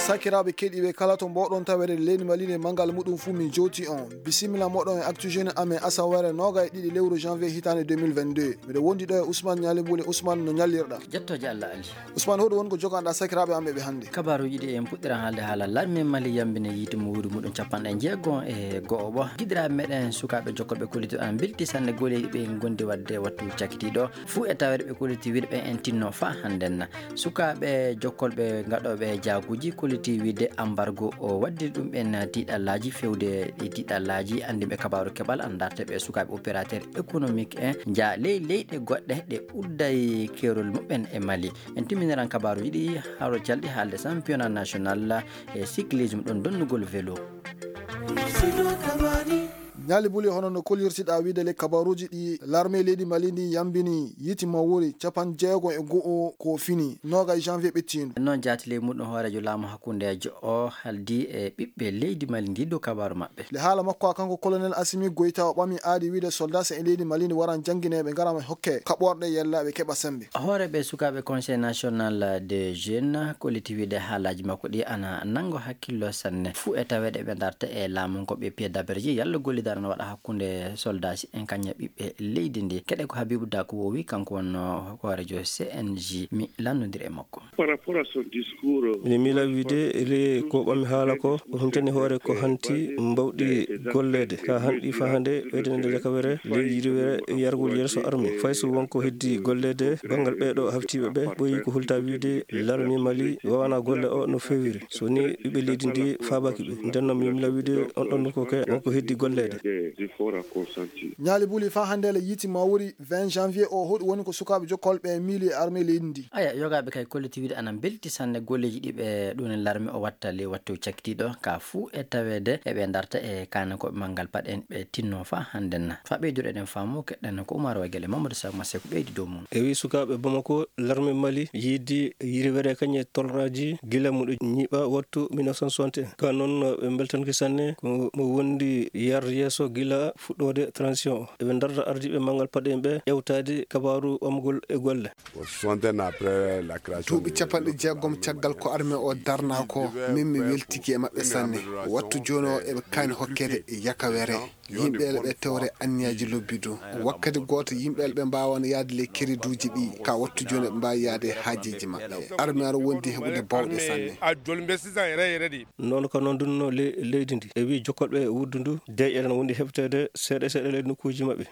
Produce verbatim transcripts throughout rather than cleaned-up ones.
Sakiraaɓe keɗiiɓe kala to mboɗon tawede leydi Mali ndi e manngal muɗum fuu, min jowti on. Bisimilla moɗon e Actu Jeune amen asaweere noogay e ɗiɗi lewru janvier hitaande deux mille vingt-deux. Miɗo wondi ɗo e Ousmane Ñaali Buli. Ousmane, no ñallirɗa? Jettooje Allah Ali. Ousmane, hoɗum woni ko joganɗa sakiraaɓe am ɓe hannde? Kabaaruuji ɗi en puɗɗiran haalde haala larme Mali yambini yiite mawri muɗum capanɗe jeegom e go'o. Giɗiraaɓe meɗen sukaaɓe jokkolɓe kolliti ana mbelti sanne golleeji ɓe ngondi waɗde wattu cakitiiɗo. Fuu e taweede ɓe kolliti wiide ɓe en tinno faa hannden. Sukaaɓe jokkolɓe gaɗooɓe jaaguuji kolliti wiide ambargo o waddiri ɗum ɓen tiiɗallaaji. Fewde ɗi tiiɗallaaji anndi ɓe kabaaru keɓal ana darte ɓe sukaaɓe opérateur économique en jaa ley leyɗe goɗɗe ɗe udday keerol muɓɓen e Mali. En timminiran kabaaruuji ɗi haro calɗi haalde championnat national e cyclisme ɗon donnugol vélo. Ñaali Buli, hono no kollirtiɗa wiide le kabaaruuji ɗi larme leydi Mali ndi yambini yiite mawri capanɗe jeegom e go'o ko fini noogay janvier ɓettiindu. Noon jaati ley muɗum hooreejo laamu hakkundeejo o haldi e ɓiɓɓe leydi Mali ndi dow kabaaru maɓɓe. Le haala makko a kanko colonel Assimi Goïta o ɓami aadi wiide soldat en leydi Mali ndi waran janngineeɓe ngaran hokke kaɓorɗe yella ɓe keɓa sembe. Hooreeɓe sukaaɓe Conseil National des Jeunes kolliti wiide haalaaji makko ɗi ana nanngo hakkillo sanne. Fuu e taweede ɓe darta e laamu ko ɓe pied d'arbier yalla gollidar no waɗa hakkunde soldat en kañum e ɓiɓɓe leydi ndi. Keɗe ko Habibu Daku wowi, kanko wonno hooreejo C N J. Mi lanndondira e makko. Par rapport à son discours, Ene miila wiide le ko ɓami haala ko o huntani hoore ko hanti mbawɗi golleede ka hanɗi fahande ɓeydande jakawere leydi yiriwere yargol yeeso armi. Fay so wonko heddi golleede banngal ɓeeɗo haftiiɓe ɓe ɓooyi ko hulta wiide larmi Mali wawana golle o no fewiri. So ni ɓiɓɓe leydi ndi faabaki ɓe. Nden noon mi miila wiide on ɗon ko ke wonko heddi golleede. Des efforts à consentir. Ñaali Buli, faa hannde le yiite mawri vingt janvier o, hoɗum woni ko sukaaɓe jokkolɓe miili e armée leydi ndi? Aya, yogaaɓe kay kolliti wiide ana mbelti sanne golleeji ɗi ɓe ɗum larme o watta ley wattu cakkitiiɗo ka fuu e taweede eɓe darta e kaane ko ɓe manngal paɗen ɓe tinno faa hannden. Faa ɓeyduɗo eɗen faamu keɗɗen ko Umar Wagel e Mamadou Sakho Massekou ɓeydi dow mum. E wi sukaaɓe Bamako, larme Mali yiidi yiriwere kañe tolraaji gila muɗo ñiiɓa wattu mille neuf cent soixante et un. Ka noon ɓe mbeltanki sanne ko mo wondi yar yeeso gila fuɗɗoode transition o. Eɓe darta ardiiɓe manngal paɗen ɓe ƴewtaade kabaaru ɓamgol e golle. Soixante ans après la création Duuɓi de capanɗe jeegom caggal ko armée o darna ko, min mi weltiki e maɓɓe sanne. Wattu jooni o eɓe kaani hokkede yakawere. Yimɓe ele ɓe tewre anniyaaji lobbi du. Wakkati gooto yimɓe ele ɓe mbaawano yahde ley keriduuji ɗi, ka wattu jooni ɓe mbaawi yahde haajeeji maɓɓe. Armée ara wondi heɓude bawɗe sanne. Noon ko noon dunno le-, leydi ndi. E wi jokkolɓe wuddu ndu, deeƴere no wondi heɓteede seeɗa seeɗa ley nokkuuji maɓɓe.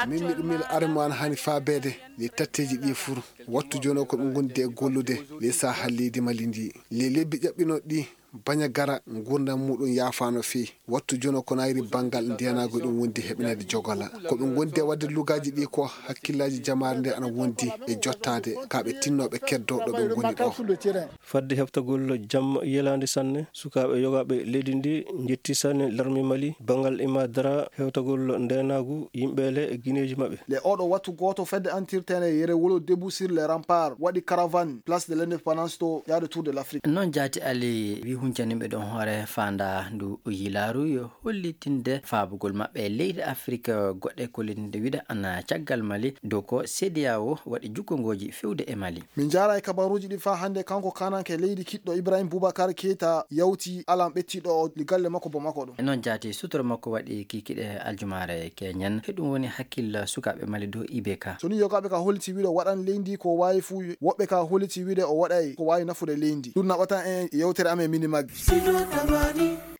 Min miɗo miila armée ana hani faabeede ley tatteeji ɗi fur. Wattu jooni o ko ɓe ngondi e gollude ley sahal leydi Mali ndi. Ley lebbi ƴaɓɓinooɗi ɗi, Bañagara, nguurndam muɗum yaafaano fii. Wattu jooni o ko nayri banngal ndeenaagu ɗum wondi heɓineede jogola. Ko ɓe ngondi e waɗde lugaaji ɗi ko hakkillaaji jamaare nde ana wondi e jottaade ka ɓe tinnooɓe keddoo ɗo ɓe ngoni ɗo. Fadde heɓtagol jam yelaande sanne, sukaaɓe yogaaɓe leydi ndi njetti sanne larmi Mali, banngal ima dara hewtagol ndeenaagu yimɓe le e gineeji maɓɓe. Le oɗo wattu gooto fedde antirtene yere wolo debout sur les remparts waɗi caravane place de l'indépendance to yaade Tour de l'Afrique. Noon jaati Ali wi huncaniɓe ɗon hoore faanda ndu yilaaru yo hollitinde faabugol maɓɓe e leyɗe Afrik goɗɗe kollitinde wiɗa ana caggal Mali dow ko CEDEAO waɗi jukkongooji fewde e Mali. Min njaara e kabaruuji ɗi faa hannde kanko kananke leydi kiɗɗo Ibrahim Boubacar Keita yawti alan ɓettiɗo o galle makko Bamako ɗo. E noon jaati sutoro makko waɗi kikiɗe aljumaare keñen. Heɗum woni hakkil sukaaɓe Mali dow I B K. So ni yogaaɓe ka holliti wiɗo waɗan leydi ko waawi fuu, woɓɓe ka holliti wiɗe o waɗay ko waawi nafude leydi. Ɗum naɓata en yewtere amen mini maggi.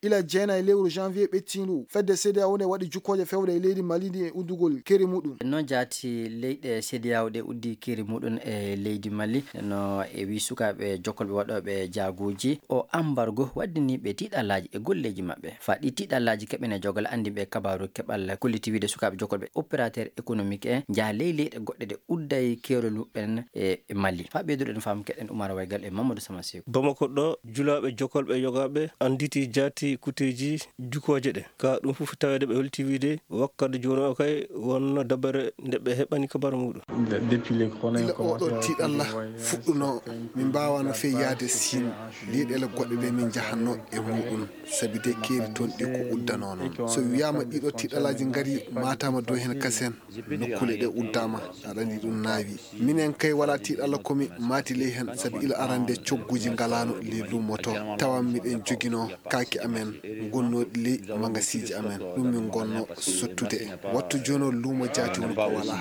Ila jeenayi lewru janvier ɓettiindu, fedde CEDEAO nde waɗi jukkooje fewde e leydi Mali ndi e uddugol keri muɗum. Noon jaati leyɗe CEDEAO ɗe uddi keri muɗum e leydi Mali. No e wi sukaaɓe jokkolɓe waɗooɓe jaaguuji o ambargo waddini ɓe tiiɗalaaji e golleeji maɓɓe. Faa ɗi tiiɗalaaji keɓene jogal anndi ɓe kabaaru keɓal kolliti wiide sukaaɓe jokkolɓe opérateur économique en njaha ley leyɗe goɗɗe ɗe udday keerol muɓɓen e Mali. Faa ɓeyduɗen faamu keɗen Umar Waygal e Mamadou Sama Seeku. Bamako ɗo julaaɓe jokkolɓe yogaaɓe annditi jaati kutteeji jukooje ɗe. Ka ɗum fof taweede ɓe holti wiide wakkati jooni o kay wonno dabare nde ɓe heɓani kabaru muɗum. Gila oɗo tiiɗalla fuɗɗuno, min mbaawano fey yahde Siin, leyɗeele goɗɗe ɗe min njahanno e muɗum, sabi de keeri toon ɗi ko uddanoo noon. So wiyaama ɗiɗo tiiɗallaaji ngari, maataama dow heen kasen, nokkuule ɗe uddaama, aɗa anndi ɗum naawi. Minen kay wala tiiɗalla ko mi maati ley heen, sabi ila arande cogguuji ngalaano ley luumo to. Tawan miɗen joginoo kaaki amen, ngonnooɗi ley magasiiji amen. Ɗum min ngonno sottude. Wattu jooni o luumo jaati woni ko wala.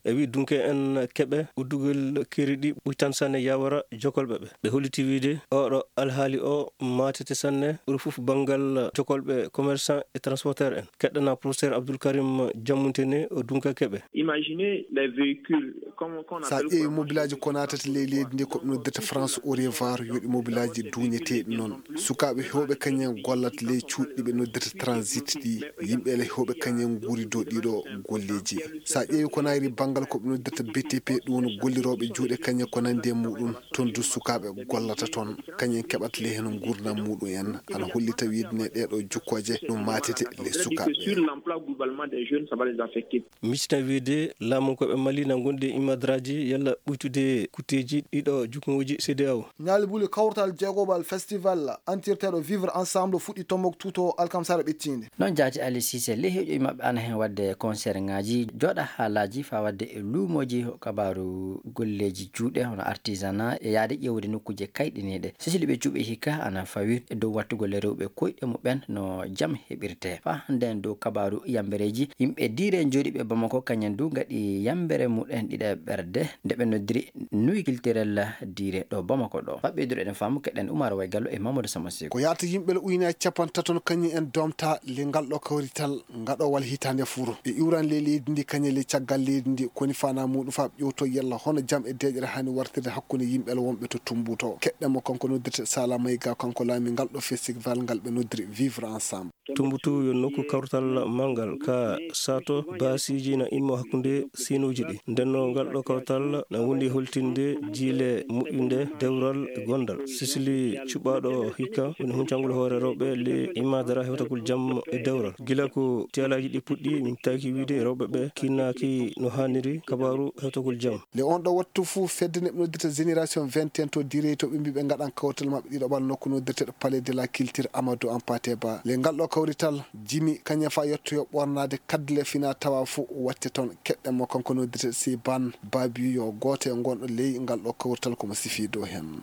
E wi dunke en keɓe uddugol keeri ɗi ɓuytan sanne yawara jokolɓe ɓe. Ɓe holliti wiide oɗo alhaali o maatete sanne ɓuri fof banngal jokolɓe commerçant e transporteur en. Keɗɗana professeur Abdoul Karim Jammuntene o dunka keɓe. Imaginez les véhicules, comme, qu'on Sa appelle ƴeewi mobilaaji ko naatata ley leydi ndi ko ɓe noddirta France au revoir, yoɗi mobilaaji duuñeteeɗi noon. Sukaaɓe heewɓe kañum en gollata ley cuuɗi ɓe noddirta transit ɗi. Yimɓe ele heewɓe kañum en nguuri dow ɗiɗo golleeji. Sa ƴeewi ko nayri banngal ko ɓe noddirta B T P, ɗum woni gollirooɓe juuɗe kañum ko nandi e muɗum, toon du sukaaɓe gollata toon. Kañum en keɓata ley heen nguurndam muɗum en. Ana hollita wiide ne ɗeeɗo jukkooje ɗum maatete ley sukaaɓe. Sur l'emploi globalement des jeunes, ça va les affecter. Miccitina wiide laamu ko ɓe Mali na ngondi e imadraji yalla ɓuytude kutteeji ɗiɗo jukkuŋuuji C D A O. Ñaali buli kawtal jeegoɓal festival antirteeɗo Vivre Ensemble fuɗɗi tombok tuto alkamsara ɓettinde. Noon jaati Ali Sise, ley heeƴoy maɓɓe ana heen waɗde concert ŋaaji, jooɗa haalaaji faa waɗde e luumooji kabaaru golleeji juuɗe hono artisanat e yaade ƴeewde nokkuuje kayɗiniiɗe. Sisili ɓe cuɓe hikka ana fawi e dow wattugol e rewɓe koyɗe muɓɓen no jam heɓirtee. Faa hannden dow kabaaru yambereeji, yimɓe diire jooɗiiɓe Bamako kañen du ngaɗi yambere muɗen ɗiɗaɓerde nde ɓe noddiri Nuit Culturel diire ɗo Bamako ɗo. Faa ɓeydude eɗen faamu keɗen Umar Way Gallo e Mamadou Sama Seeku. Ko yaata yimɓe le uyna e capantaton kañum en doomta le ngal ɗo kawrital ngaɗowal hitaande furo. Ɓe iwran le leydi ndi kañum le caggal leydi ndi koni fana muɗum faa ɓe ƴewto yalla hono jam e deeƴere hani wartirde hakkunde yimɓe le wonɓe to Tumbuto. Keɗɗen mo kanko noddirte Sala Mayga, kanko laami ngal ɗo festival ngal ɓe noddiri Vivre Ensemble. Tumbutu yo nokku kawrital manngal ka sato baasiiji na immo hakkunde siinuuji ɗi. Ndenno ngal ɗo kawrital na wondi holtinde jiile moƴƴunde dewral e gondal. Sisili cuɓaaɗo hikka woni huncangol hoore rewɓe le imadara hewtagol jam e dewral. Gila ko tiyalaaji ɗi puɗɗi, min taaki wiide rewɓe ɓe kinnaaki no haaniri kabaaru hewtagol jam. Le on ɗo wattu fuu fedde neɓ noddirta Génération vingt et un to Direy to ɓe mbi ɓe ngaɗan kawtal maɓɓe ɗiɗaɓal nokku noddirteɗo Palais de la Culture Amadou Hampâté Bâ. Le ngal ɗo kawrital jimi kañum faa yettoyo ɓornaade kaddule fina tawa fuu watte toon. Keɗɗen mo kanko noddirteɗo Siban Babiyo gooto e ngonɗo ley ngal ɗo kawrital ko mo sifi dow heen.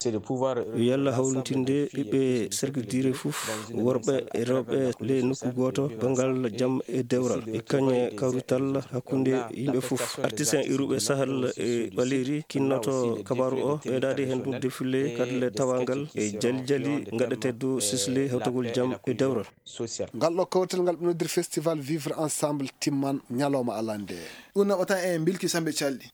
Yalla hawrintinde ɓiɓɓe cercle Direy fof, worɓe e rewɓe ley nokku gooto, banngal jam e dewral. E kañe kawrital hakkunde yimɓe fof. Artisan iruɓe Sahel e Ɓaleeri kinnoto kabaaru o, ɓeydaade heen ɗum defile kadle tawangal e jali jali ngaɗeteeɗo sisle hewtagol jam e dewral. Ngal ɗo kawrital ngal ɓe noddir festival Vivre Ensemble timman ñalawma alande. Ɗum naɓata en bilki sambe calɗi.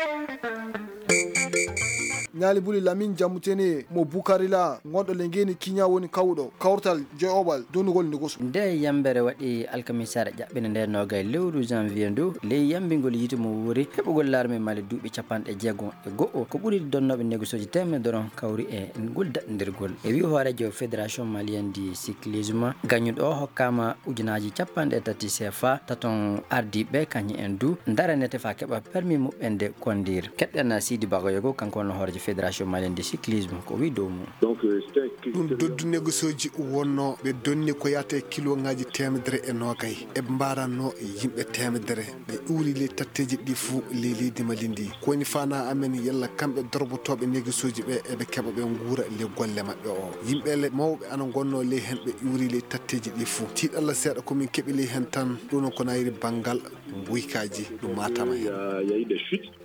Ñaali buli Lamin Jammutene mo Bukarila, ngonɗo le ngeeni kiña woni kawɗo kawtal joyoɓal donugol nde gosu. Nde yambere waɗi alkamisaare ƴaɓɓinde nde noga e lewru janvier ndu, ley yambingol yiite mo wuuri heɓugol larme Mali duuɓi capanɗe jeego e go'o. Ko ɓuri donnooɓe négociooji teemedere on kawri e ngol daɗndirgol. E wi hooreejo Fédération Malienne du Cyclisme, gañuɗo o hokkaama ujunaaji capanɗe tati C F A, taton ardiiɓe kañum en du ndaranete faa keɓa permis muɓɓen de kondir. Keɗɗen Sidi Bagoyogo, kanko wonno hooreejo Fédération Malienne du Cyclisme, ko wi dow mum. Ɗum doddu négociooji wonno ɓe donni ko yahata e kiloŋaaji teemedere e noogay. Eɓe mbaranno yimɓe teemedere. Ɓe iwri ley tatteeji ɗi fuu ley leydi Mali ndi. Ko woni fana amen yalla kamɓe dorbotooɓe négociooji ɓe eɓe keɓa ɓe nguura ley golle maɓɓe o. Yimɓe le mawɓe ana ngonno ley heen ɓe iwri ley tatteeji ɗi fuu. Tiiɗalla seeɗa ko min keɓi ley heen tan, ɗum noon ko nayri banngal nguykaaji ɗum matama heen.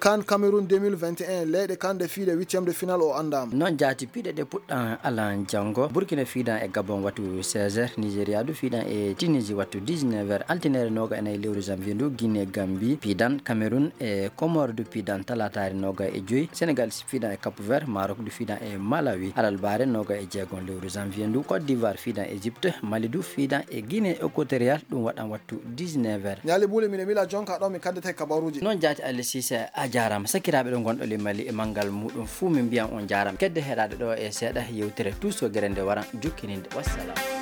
Kan Cameroun deux mille vingt et un, leyɗe kan ɗe fiiɗe huitième de finale o anndaama. Noon jaati piɗe ɗe puɗɗan alan janngo. Burkina fiidan e Gabon wattu seize heures. Nigeria du fiidan e Tunisie wattu dix-neuf heures. Altinere noga e nayi lewru janvier ndu, Guinée Gambie piidan, Cameroun e Comore du piidan talataare noga e joyi. Sénégal fiidan e Cap Vert, Maroc du fiidan e Malawi alarba noga e jeego lewru janvier ndu. Côte d'Ivoire fiidan e Égypte, Mali du fiidan e Guinée Équatoriale, ɗum waɗan wattu dix-neuf heures. Ñaali buule, miɗo mila jonka ɗo mi kaddata e kabaruuji. Noon jaati Ali Sise, a jaaraama. Sakiraaɓe ɗo ngonɗo le Mali e manngal muɗum fuu, min mbiyan on jaaraama. Kedde heɗaade ɗo e seeɗa yewtere Tuuso Gere nde waran jokkininde. Wassalam.